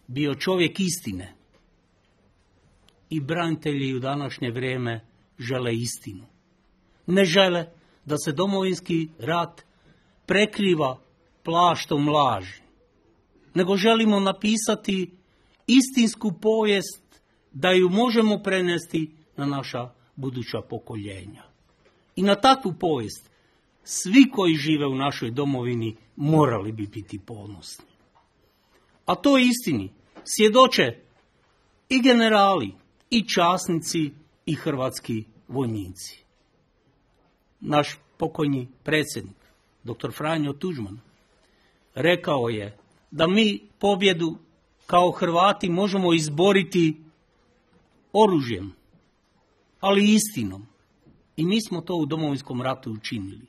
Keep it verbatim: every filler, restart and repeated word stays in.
bio čovjek istine. I branitelji u današnje vrijeme žele istinu. Ne žele da se Domovinski rat prekriva plaštom laži, nego želimo napisati istinsku povijest da ju možemo prenesti na naša buduća pokoljenja. I na takvu povijest svi koji žive u našoj domovini morali bi biti ponosni. A to istini svjedoče i generali, i časnici, i hrvatski vojnici. Naš pokojni predsjednik, doktor Franjo Tuđman, rekao je da mi pobjedu kao Hrvati možemo izboriti oružjem, ali istinom. I mi smo to u Domovinskom ratu učinili.